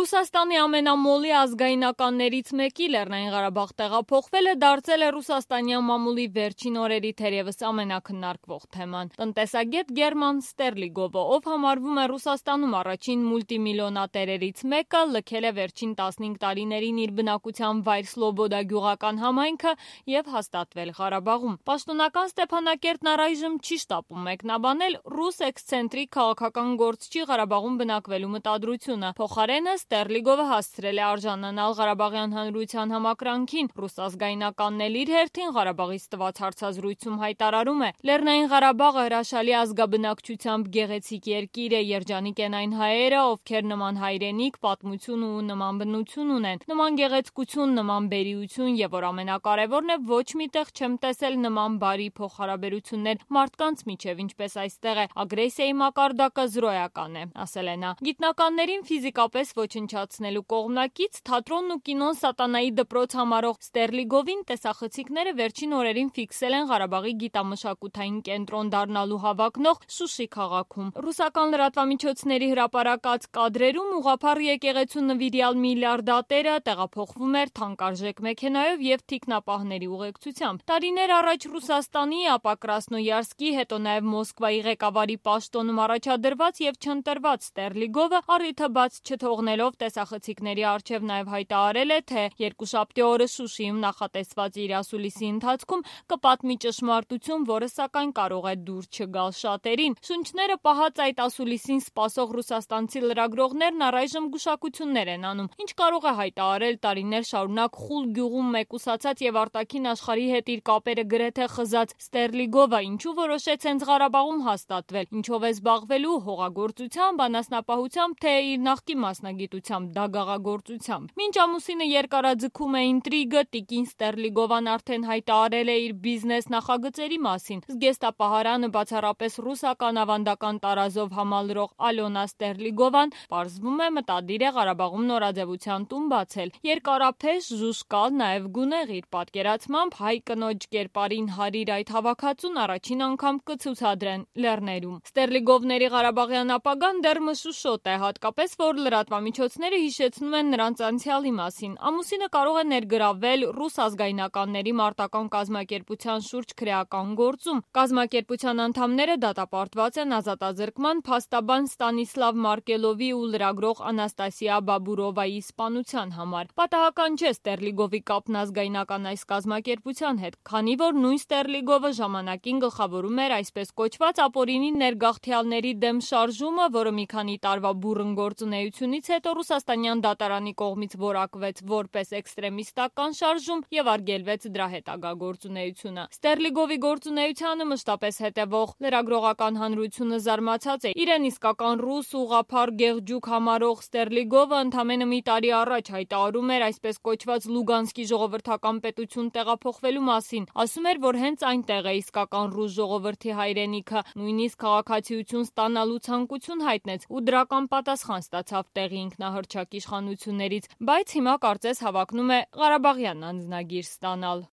Ռուսաստանի ամենամոլի ազգայնականներից մեկի Լեռնային Ղարաբաղ տեղափոխվելը դարձել է ռուսաստանյան մամուլի վերջին օրերի թերևս ամենաքննարկվող թեման։ Տնտեսագետ Գերման Ստերլիգովը, ով համարվում է Ռուսաստանում առաջին մուլտիմիլիոնատերերից մեկը, լքել է վերջին 15 տարիներին իր բնակության վայր Սլոբոդա գյուղական համայնքը եւ հաստատվել Ղարաբաղում։ Պաշտոնական Ստեփանակերտն առայժմ չի շտապում մեկնաբանել ռուս էքսցենտրիկ քաղաքական գործչի Ղարաբաղում բնակվելու մտադրությունը։ Փոխարենը Ստերլիգովը հասցրել է արժանանալ Ղարաբաղյան հանրության համակրանքին։ Ռուս ազգայնականն էլ իր հերթին Ղարաբաղից տված հարցազրույցում հայտարարում է. Լեռնային Ղարաբաղը հրաշալի ազգաբնակչությամբ գեղեցիկ երկիր է, երջանիկ են այն հայերը, ովքեր նման հայրենիք, պատմություն ու նման բնություն ունեն, նման գեղեցկություն, նման բերիություն եւ որ ամենակարևորն է, ոչ միտեղ չեմ տեսել նման բարի փոխհարաբերություններ մարդկանց միջև, ինչպես այստեղ է, ագրեսիայի մակարդակը զրոյական է, ասել է նա։ Գիտնականներին ֆիզիկապես ոչնչացնելու կողմնակից թատրոնն ու կինոն սատանայի դպրոց համարող Ստերլիգովին տեսախցիկները վերջին օրերին ֆիքսել են Ղարաբաղի գիտամշակութային կենտրոն դառնալու հավակնող Շուշի քաղաքում։ Ռուսական լրատվամիջոցների հրապարակած կադրերում ուղղափառ եկեղեցու նվիրյալ միլիարդատերը տեղափոխվում էր թանկարժեք մեքենայով եւ թիկնապահների ուղեկցությամբ։ Տարիներ առաջ Ռուսաստանի, ապա Կրասնոյարսկի, հետո նաեւ Մոսկվայի ղեկավարի պաշտոնում առաջադրված եւ չընտրված Ստերլիգովը առիթը բաց չթողնելով տեսախցիկների առջև նաև հայտարարել է, թե երկուշաբթի օրը Շուշիում նախատեսված իր ասուլիսի ընթացքում կպատմի ճշմարտություն, որը սակայն կարող է դուր չգալ շատերին։ Շունչները պահած այդ ասուլիսին սպասող ռուսաստանցի լրագրողներն առայժմ գուշակություններ են անում, ինչ կարող է հայտարարել տարիներ շարունակ Խուլ գյուղում մեկուսացած եւ արտաքին աշխարհի հետ իր կապերը գրեթե խզած Ստերլիգովը, ինչու որոշեց հենց Ղարաբաղում հաստատվել, ինչով է զբաղվելու, հողագործությամբ, անասնապահությամբ, թե իր նախկին մասնագիտությամբ դագաղագործությամբ։ Մինչ ամուսինը երկարաձգում է ինտրիգը, տիկին Ստերլիգովան արդեն հայտարարել է իր բիզնես նախագծերի մասին։ Զգեստապահարանը բացառապես ռուսական ավանդական տարազով համալրող Ալյոնա Ստերլիգովան պարզվում է մտադիր է Ղարաբաղում նորաձևության տուն բացել։ Երկարափեշ, ժուժկալ, նաև գունեղ իր պատկերացմամբ հայ կնոջ կերպարին հարիր այդ հավաքածուն առաջին անգամ կցուցադրեն լեռներում։ Ստերլիգովների Ղարաբաղյան ապագան դեռ մշուշոտ է, հատկապես որ լրատվամիջոցները հիշեցնում են նրանց անցյալի մասին։ Ամուսինը կարող է ներգրավվել ռուս ազգայնականների մարտական կազմակերպության շուրջ քրեական գործում։ Կազմակերպության անդամները դատապարտված են ազատազրկման փաստաբան Ստանիսլավ Մարկելովի ու լրագրող Անաստասիա Բաբուրովայի սպանության համար։ Պատահական չէ Ստերլիգովի կապն ազգայնական այս կազմակերպության հետ, քանի որ նույն Ստերլիգովը ժամանակին գլխավորում էր այսպես կոչված ապօրինի ներգաղթյալների դեմ շարժումը, որը մի քանի տարվա բուռն գործունեությունից հետո ռուսաստանյան դատարանի կողմից որակվեց որպես էքստրեմիստական շարժում եւ արգելվեց դրա հետագա գործունեությունը։ Ստերլիգովի գործունեությանը մշտապես հետևող լրագրողական հանրությունը զարմացած է։ Իրեն իսկական ռուս ուղղափառ գեղջուկ համարող Ստերլիգովը ընդամենը մի տարի առաջ հայտարարում էր այսպես կոչված Լուգանսկի ժողովրդական պետություն տեղափոխվելու մասին։ Ասում էր, որ հենց այնտեղ է իսկական ռուս ժողովրդի հայրենիքը, նույնիսկ քաղաքացիություն ստանալու ցանկություն հայտնեց ու դրական պատասխան ստացավ տեղի ինքնահռչակ իշխանություններից, բայց հիմա կարծես հավակնում է Ղարաբաղյան անձնագիր ստանալ։